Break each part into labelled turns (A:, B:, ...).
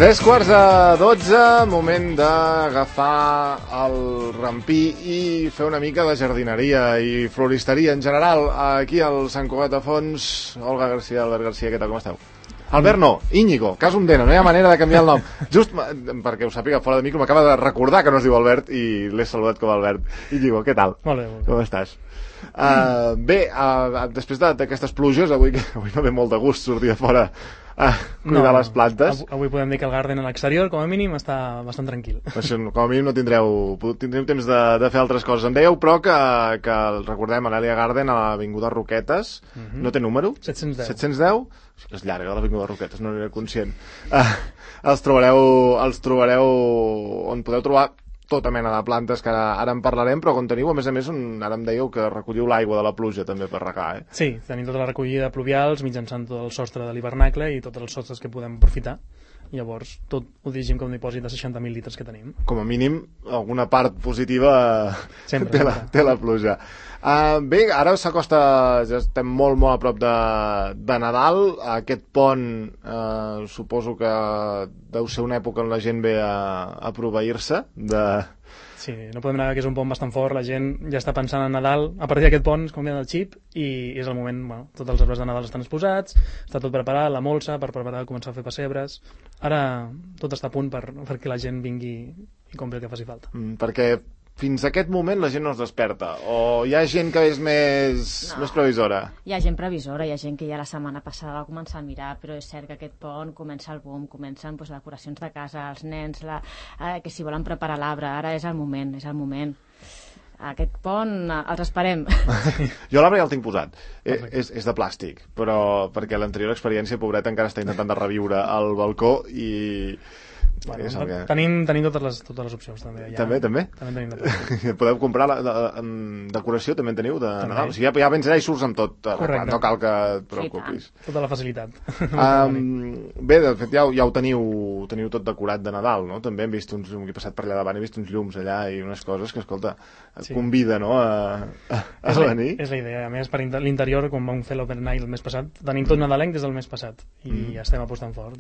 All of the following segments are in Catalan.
A: 3:45, moment d'agafar el rampí i fer una mica de jardineria i floristeria en general aquí al Sant Cugat de Fons. Olga García, Albert García, què tal, com esteu? Albert no, Íñigo, Casum Dena, no hi ha manera de canviar el nom. Just perquè ho sàpiga, fora de micro, m'acaba de recordar que no es diu Albert i l'he saludat com a Albert. Íñigo, què tal?
B: Molt bé, molt bé.
A: Com estàs? Bé, després d'aquestes pluges, avui no ve molt de gust sortir a fora a cuidar les plantes.
B: Avui podem dir que el garden a l'exterior, com a mínim, està bastant tranquil.
A: Com a mínim no tindreu temps de fer altres coses. Em dèieu, però, que recordem, a l'Elia Garden, a l'Avinguda Roquetes, no té número?
B: 710.
A: 710? És llarga, l'Avinguda Roquetes, no n'era conscient. Els trobareu on podeu trobar tota mena de plantes, que ara en parlarem, però on teniu, a més, ara em dèieu que recolliu l'aigua de la pluja també per regar, eh?
B: Sí, tenim tota la recollida de pluvials mitjançant tot el sostre de l'hivernacle i tots els sostres que podem aprofitar. Llavors, tot ho dirigim com un dipòsit de 60.000 litres que tenim.
A: Com a mínim, alguna part positiva té la pluja. Bé, ara s'acosta, ja estem molt, molt a prop de Nadal. Aquest pont, suposo que deu ser una època on la gent ve a proveir-se de...
B: Sí, no podem negar que és un pont bastant fort, la gent ja està pensant en Nadal, a partir d'aquest pont es canvia el xip i és el moment, bueno, tots els arbres de Nadal estan exposats, està tot preparat, la molsa per començar a fer pessebres, ara tot està a punt perquè la gent vingui i compri el que faci falta.
A: Perquè fins a aquest moment la gent no es desperta, o hi ha gent que és més previsora?
C: Hi ha gent previsora, hi ha gent que ja la setmana passada va començar a mirar, però és cert que aquest pont comença el boom, comencen decoracions de casa, els nens, que si volen preparar l'arbre, ara és el moment, Aquest pont els esperem.
A: Jo l'arbre ja el tinc posat, és de plàstic, però perquè l'anterior experiència, pobreta, encara està intentant de reviure al balcó i...
B: Bueno, tenim totes les opcions també. Ja.
A: També?
B: També tenim de plàstic.
A: Podeu comprar decoració, també en teniu de Nadal. O sigui, ja vens allà i surts amb tot. No cal que et preocupis.
B: Tota la facilitat.
A: Bé, de fet ja ho teniu tot decorat de Nadal, no? També hem vist he passat per allà davant, he vist uns llums allà i unes coses que, escolta, et convida, no?, a venir.
B: És la idea. A més, per l'interior, quan vam fer l'Open Night el mes passat, tenim tot nadalenc des del mes passat i estem apostant fort,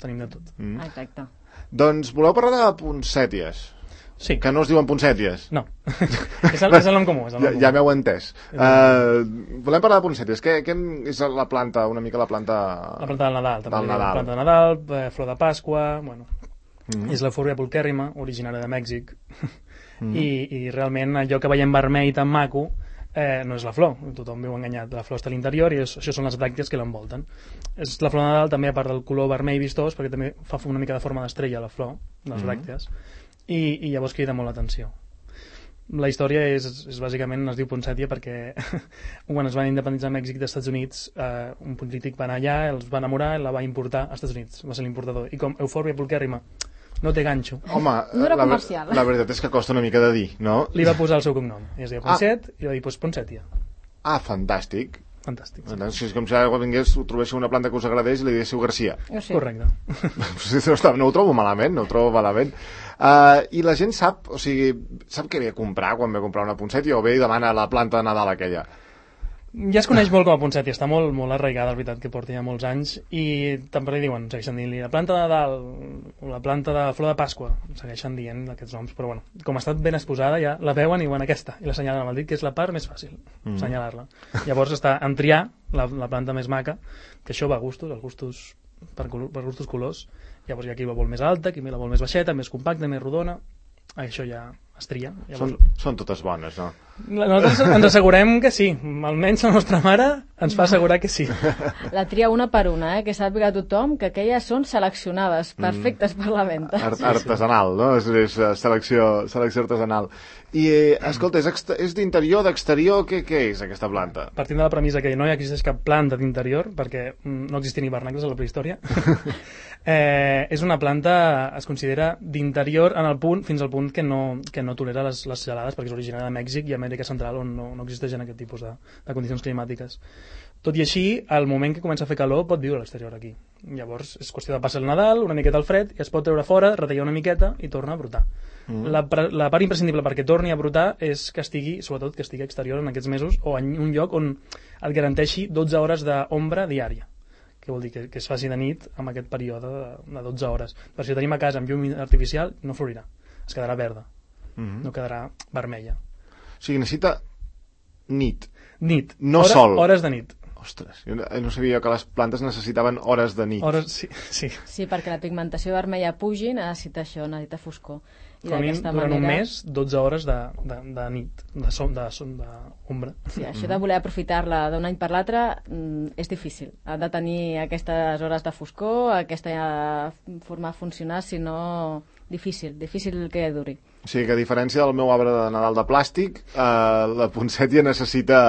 B: tenim de tot.
C: Exacte.
A: Doncs voleu parlar de poncèties?
B: Sí.
A: Que no es diuen poncèties?
B: No. És el nom comú.
A: Ja m'heu entès. Volem parlar de poncèties. Què és la planta, una mica la planta...
B: La planta del Nadal. La planta de Nadal, flor de Pasqua... Bueno, és l'eufòrbia pulquèrrima, originària de Mèxic. I realment allò que veiem vermell tan maco no és la flor, tothom viu enganyat, la flor està a l'interior i això són les bràctees que l'envolten. És la flor de Nadal també, a part del color vermell vistós, perquè també fa una mica de forma d'estrella la flor, les bràctees, i llavors crida molt l'atenció. La història és bàsicament, es diu poncètia perquè quan es van independitzar Mèxic dels Estats Units, un polític va anar allà, els va enamorar i la va importar als Estats Units, va ser l'importador, i com eufòrbia pulquèrrima no té ganxo.
A: Home,
C: no era comercial.
A: La veritat és que costa una mica de dir, no?
B: Li va posar el seu cognom. Es deia Poncet i va dir, Poncètia.
A: Fantàstic.
B: Fantàstic.
A: Sí. És com si ara vingués, trobéssiu una planta que us agradés i li diguéssiu Garcia.
B: Sí. Correcte.
A: No ho trobo malament, I la gent sap què ve a comprar quan ve a comprar una poncètia o ve i demana la planta de Nadal aquella?
B: Ja es coneix molt com a poncètia, està molt, molt arraigada, la veritat, que porta ja molts anys, i també li diuen, segueixen dient-li la planta de Nadal, o la planta de flor de Pasqua, segueixen dient aquests noms, però bueno, com ha estat ben exposada, ja la veuen i diuen aquesta, i la senyalen amb el dit, que és la part més fàcil, senyalar-la. Llavors està en triar la planta més maca, que això va a gustos, per gustos colors, llavors hi ha qui la vol més alta, qui la vol més baixeta, més compacta, més rodona, això ja es tria.
A: Són totes bones, no?
B: Nosaltres ens assegurem que sí, almenys la nostra mare ens fa assegurar que sí.
C: La tria una per una, que sàpiga tothom que aquelles són seleccionades, perfectes per la venda.
A: Artesanal, no? És selecció artesanal. I, escolta, és d'interior, d'exterior, què és aquesta planta?
B: Partint de la premissa que no hi existeix cap planta d'interior, perquè no existien hivernacles a la prehistòria, és una planta, es considera d'interior fins al punt que no tolera les gelades, perquè és originària de Mèxic i Amèrica Central, on no existeixen aquest tipus de condicions climàtiques. Tot i així, al moment que comença a fer calor pot viure a l'exterior aquí. Llavors és qüestió de passar el Nadal, una miqueta al fred, i es pot treure fora, retallar una miqueta i torna a brotar. La part imprescindible perquè torni a brotar és que estigui exterior en aquests mesos o en un lloc on et garanteixi 12 hores d'ombra diària, Què vol dir? Que es faci de nit amb aquest període de 12 hores. Per si ho tenim a casa amb llum artificial, no florirà. Es quedarà verda. No quedarà vermella.
A: O sigui, necessita nit.
B: Nit.
A: No sol.
B: Hores de nit.
A: Ostres, jo no sabia que les plantes necessitaven hores de nit.
C: Sí, perquè la pigmentació vermella pugi, necessita això, necessita foscor. I
B: com a mínim, durant un mes, 12 hores de nit, d'ombra.
C: Sí, això de voler aprofitar-la d'un any per l'altre és difícil. Ha de tenir aquestes hores de foscor, aquesta forma de funcionar, si no, difícil que duri.
A: O sigui que a diferència del meu arbre de Nadal de plàstic, la poncètia necessita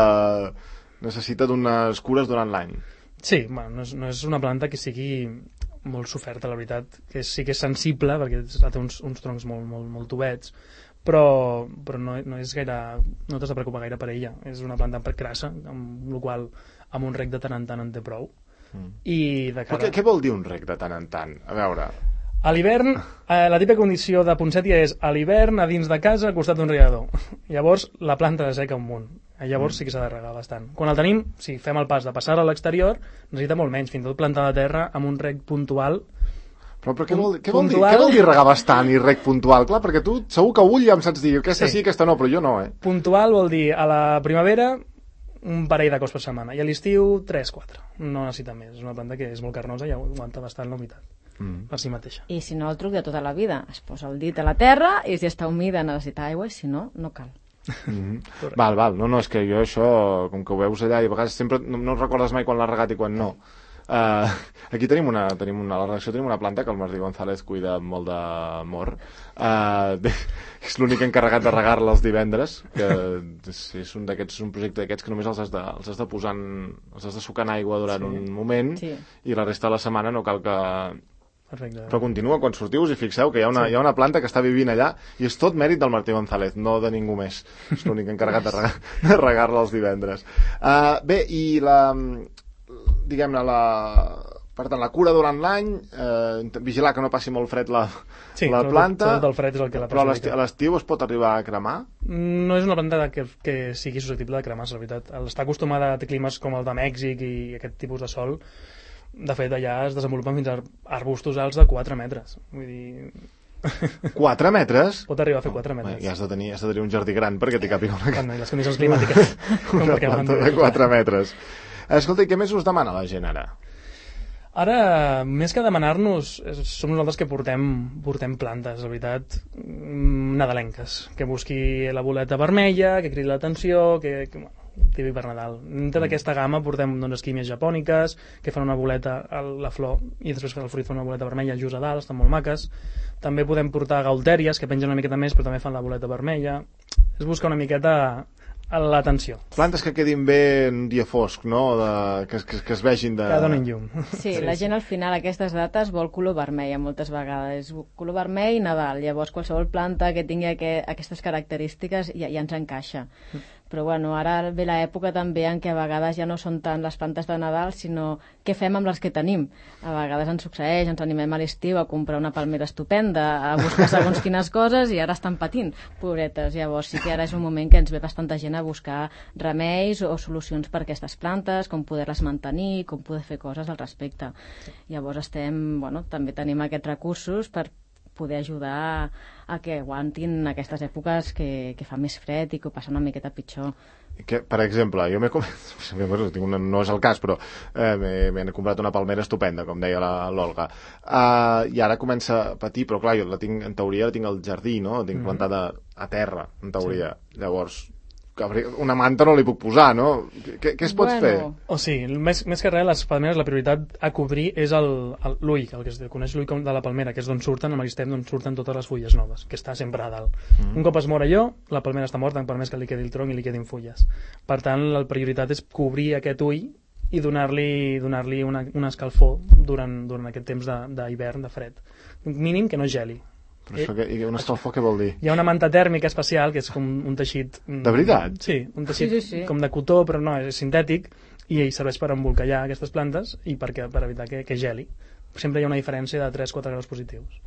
A: d'unes cures durant l'any.
B: Sí, bueno, no és una planta que sigui molt soferta, la veritat, que sí que és sensible perquè té uns troncs molt tubets, però no és gaire, no t'has de preocupar gaire per ella. És una planta crassa, amb la qual amb un rec de tant en tant en té prou. I de cara...
A: Què vol dir un rec de tant en tant? A veure...
B: A l'hivern, la típica condició de poncètia és a l'hivern a dins de casa al costat d'un rierador. Llavors la planta seca un munt. Llavors sí que s'ha de regar bastant. Quan el tenim, si fem el pas de passar a l'exterior, necessita molt menys, fins i tot planta de terra amb un rec puntual.
A: Però què vol dir regar bastant i rec puntual? Clar, perquè tu segur que ull ja em saps dir aquesta sí, aquesta no, però jo no,
B: Puntual vol dir a la primavera un parell de cops per setmana i a l'estiu 3-4. No necessita més. És una planta que és molt carnosa i aguanta bastant la humitat. Per si mateixa.
C: I si no, el truc de tota la vida. Es posa el dit a la terra i si està humida necessita aigua i si no, no cal.
A: Val, no, és que jo això, com que ho veus allà i a vegades sempre no recordes mai quan l'has regat i quan no. Aquí tenim a la redacció tenim una planta que el Martí González cuida amb molt d'amor. És l'únic encarregat de regar-la els divendres, que és un projecte d'aquests que només els has de posar els has de sucar en aigua durant un moment i la resta de la setmana no cal que...
B: Perfecte.
A: Però continua, quan sortiu us hi fixeu que hi ha una planta que està vivint allà i és tot mèrit del Martí González, no de ningú més. És l'únic encarregat de regar-la els divendres. Bé, i diguem-ne, per tant, la cura durant l'any, vigilar que no passi molt fred la planta,
B: el fred és el que la
A: però a l'estiu es pot arribar a cremar?
B: No és una planta que sigui susceptible de cremar, la veritat. Està acostumada a climes com el de Mèxic i aquest tipus de sol. De fet, allà es desenvolupen fins a arbustos alts de 4 metres. Vull dir...
A: 4 metres?
B: Pot arribar a fer 4 metres.
A: Ja has de tenir un jardí gran perquè t'hi càpiga una...
B: les condicions climàtiques.
A: Una planta de 4 metres. Escolta, i què més us demana la gent ara?
B: Ara, més que demanar-nos, som nosaltres que portem plantes, la veritat, nadalenques. Que busqui la boleta vermella, que cridi l'atenció, que típic per Nadal. Dintre d'aquesta gamma portem esquímies japòniques que fan una boleta a la flor i després el fruit fa una boleta vermella just a dalt, estan molt maques. També podem portar gaultèries que pengen una miqueta més però també fan la boleta vermella. Es busca una miqueta l'atenció.
A: Plantes que quedin bé en dia fosc, no? Que es vegin de...
B: Que donin llum.
C: Sí, la gent al final a aquestes dates vol color vermell moltes vegades. Color vermell i Nadal. Llavors qualsevol planta que tingui aquestes característiques ja ens encaixa. Però bueno, ara ve l'època també en què a vegades ja no són tant les plantes de Nadal, sinó què fem amb les que tenim. A vegades ens succeeix, ens animem a l'estiu a comprar una palmera estupenda, a buscar segons quines coses i ara estan patint, pobretes. Llavors sí que ara és un moment que ens ve bastanta gent a buscar remeis o solucions per a aquestes plantes, com poder-les mantenir, com poder fer coses al respecte. Llavors també tenim aquests recursos per poder ajudar a que aguantin aquestes èpoques que fa més fred i que ho passa una miqueta pitjor.
A: Per exemple, jo no és el cas, però m'he comprat una palmera estupenda, com deia l'Olga, i ara comença a patir, però clar, jo en teoria la tinc al jardí, no? La tinc plantada a terra, en teoria. Llavors, una manta no li puc posar, no? Què es pot fer?
B: O sigui, més que res, les palmeres, la prioritat a cobrir és l'ull, el que es coneix l'ull de la palmera, que és d'on surten, amb l'estem d'on surten totes les fulles noves, que està sempre a dalt. Un cop es mor allò, la palmera està morta, per més que li quedi el tronc i li quedin fulles. Per tant, la prioritat és cobrir aquest ull i donar-li una escalfor durant aquest temps d'hivern, de fred. Mínim que no geli.
A: Però això un escalfor què vol dir?
B: Hi ha una manta tèrmica especial que és com un teixit...
A: De veritat?
B: Sí, un teixit com de cotó, però no, és sintètic i serveix per embolcallar aquestes plantes i per evitar que geli. Sempre hi ha una diferència de 3-4 graus positius.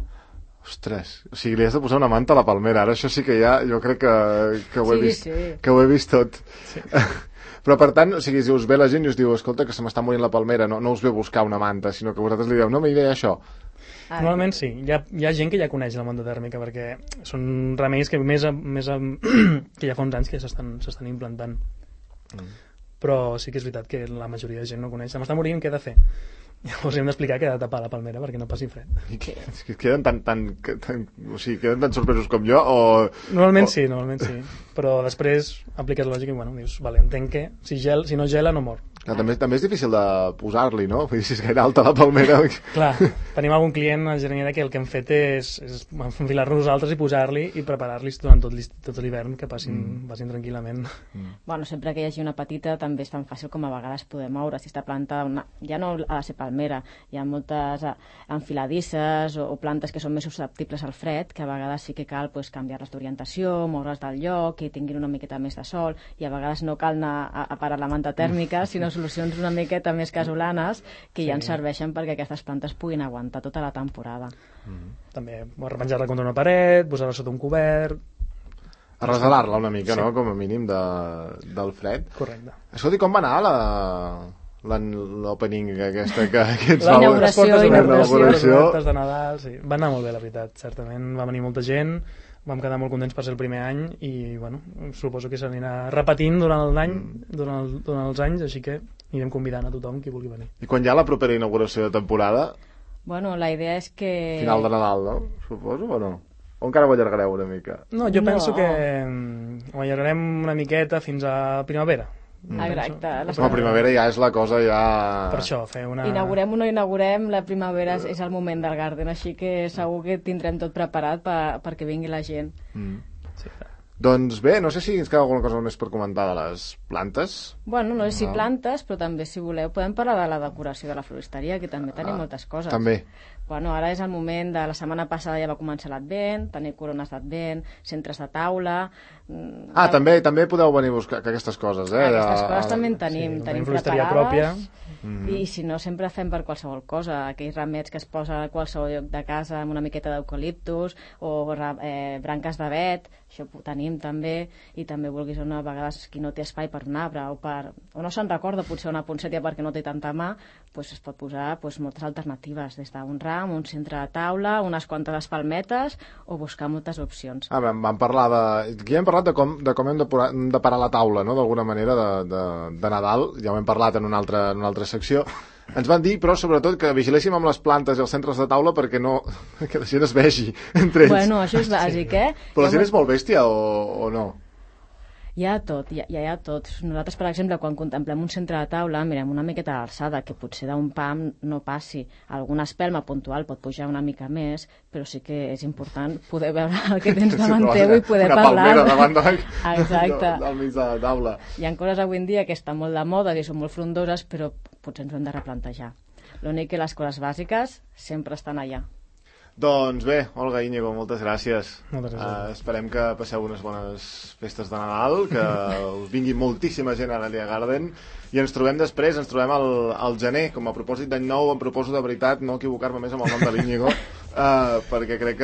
A: Ostres, o sigui, li has de posar una manta a la palmera. Ara això sí que ja, jo crec que ho he vist, que ho he vist tot. Sí. Però, per tant, o sigui, si us ve la gent i us diu, escolta, que se m'està morint la palmera, no us ve buscar una manta, sinó que vosaltres li dieu, no, m'hi deia això.
B: Normalment sí, hi ha gent que ja coneix la manta tèrmica, perquè són remeis que que ja fa uns anys que s'estan implantant. Però sí que és veritat que la majoria de gent no coneix. Se m'està morint, què he de fer? Llavors hem d'explicar que he de tapar la palmera perquè no passi fred.
A: I que queden o sigui, queden tan sorpresos com jo?
B: Normalment sí, però després apliques lògica i dius, vale, entenc que si no gela no mor.
A: També és difícil de posar-li, no? Vull dir, si és gaire alta la palmera...
B: Clar, tenim algun client a Gernika que el que hem fet és enfilar-nos nosaltres i posar-li i preparar-los durant tot l'hivern que passin tranquil·lament.
C: Bueno, sempre que hi hagi una petita també és tan fàcil com a vegades poder moure. Si està plantada, ja no ha de ser palmera, hi ha moltes enfiladisses o plantes que són més susceptibles al fred, que a vegades sí que cal canviar-les d'orientació, moure's del lloc, que tinguin una miqueta més de sol, i a vegades no cal anar a parar la manta tèrmica, sinó solucions una miqueta més casolanes que ja ens serveixen perquè aquestes plantes puguin aguantar tota la temporada.
B: També arrepenjar-la contra una paret, posar-la sota un cobert...
A: Arresalar-la una mica, no?, com a mínim del fred.
B: Correcte.
A: Escolti, com va anar l'opening aquesta que ens
C: va... L'inauguració
B: de Nadal, sí. Va anar molt bé, la veritat, certament. Va venir molta gent, vam quedar molt contents per ser el primer any i, suposo que s'anirà repetint durant l'any, durant els anys, així que anirem convidant a tothom qui vulgui venir.
A: I quan hi ha la propera inauguració de temporada?
C: Bueno, la idea és que...
A: Final de Nadal, no? Suposo, o no? O encara ho allargareu una mica?
B: No, jo penso que ho allargarem una miqueta fins a primavera.
C: Exacte.
A: La primavera ja és la cosa ja...
B: Per això, fer una...
C: Inaugurem o no inaugurem, la primavera és el moment del Garden, així que segur que tindrem tot preparat perquè vingui la gent.
B: Sí.
A: Doncs bé, no sé si ens queda alguna cosa més per comentar de les plantes.
C: Bueno, no sé si plantes, però també, si voleu, podem parlar de la decoració de la floristeria, que també tenim moltes coses.
A: També.
C: Bueno, ara és el moment de... La setmana passada ja va començar l'Advent, tenir corones d'Advent, centres de taula...
A: També podeu venir a buscar aquestes coses, eh?
C: Aquestes coses també en tenim,
B: tenim floristeria pròpia.
C: I si no, sempre fem per qualsevol cosa, aquells ramets que es posa a qualsevol lloc de casa amb una miqueta d'eucaliptus o branques d'avet, això ho tenim també, i també vulguis a vegades qui no té espai per un arbre o no se'n recorda potser una poncètia perquè no té tanta mà, es pot posar moltes alternatives, des d'un ram, un centre de taula, unes quantes espalmetes o buscar moltes opcions.
A: Vam parlar aquí hem parlat de com hem de parar la taula, no?, d'alguna manera de Nadal, ja ho hem parlat en una altra secció. Ens van dir, però, sobretot, que vigiléssim amb les plantes i els centres de taula perquè que la gent es vegi entre ells.
C: Bueno, això és bàsic,
A: Però la gent és molt bèstia o no?
C: Hi ha tot. Nosaltres, per exemple, quan contemplem un centre de taula, mirem una miqueta d'alçada, que potser d'un pam no passi. Alguna espelma puntual pot pujar una mica més, però sí que és important poder veure el que tens davant teu i poder parlar.
A: Una palmera davant
C: del
A: mig de la taula.
C: Hi ha coses avui en dia que estan molt de moda i són molt frondoses, però potser ens ho hem de replantejar. L'únic que les coses bàsiques sempre estan allà.
A: Doncs bé, Olga, Íñigo, moltes gràcies.
B: Moltes gràcies.
A: Esperem que passeu unes bones festes de Nadal, que us vingui moltíssima gent a l'Alia Garden i ens trobem després, ens trobem al gener. Com a propòsit d'any nou, em proposo de veritat no equivocar-me més amb el nom de l'Íñigo, perquè crec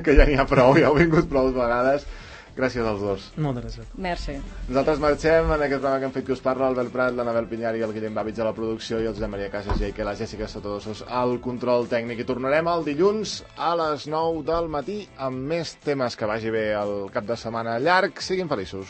A: que ja n'hi ha prou, ja heu vingut prou vegades. Gràcies als dos.
B: Moltes gràcies.
C: Merci.
A: Nosaltres marxem en aquest programa que hem fet que us parla l'Albert Prat, l'Anabel Pinyar i el Guillem Bàvitz a la producció i el Josep Maria Casas i la Jèssica Sotodosos al control tècnic. I tornarem el dilluns a les 9 del matí amb més temes. Que vagi bé el cap de setmana llarg. Siguin feliços.